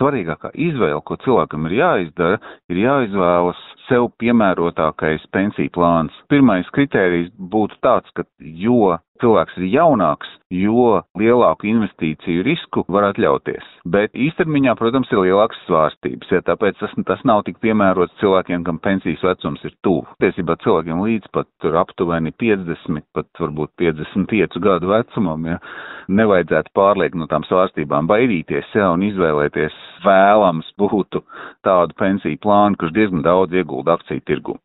svarīgākā izvēle, ko cilvēkam ir jāizdara, ir jāizvēlas sev piemērotākais pensiju plāns. Pirmais kritērijs būtu tāds, ka jo cilvēks ir jaunāks, jo lielāku investīciju risku var atļauties. Bet īstermiņā, protams, ir lielākas svārstības, tāpēc tas nav tik piemērots cilvēkiem, kam pensijas vecums ir tuvu. Tiesībā cilvēkiem līdz pat aptuveni 50, pat varbūt 55 gadu vecumam, nevajadzētu pārliekt no tām svārstībām baidīties, un izvēlēties vēlams būtu tādu pensiju plānu, kurš diezgan daudz iegulda akciju tirgu.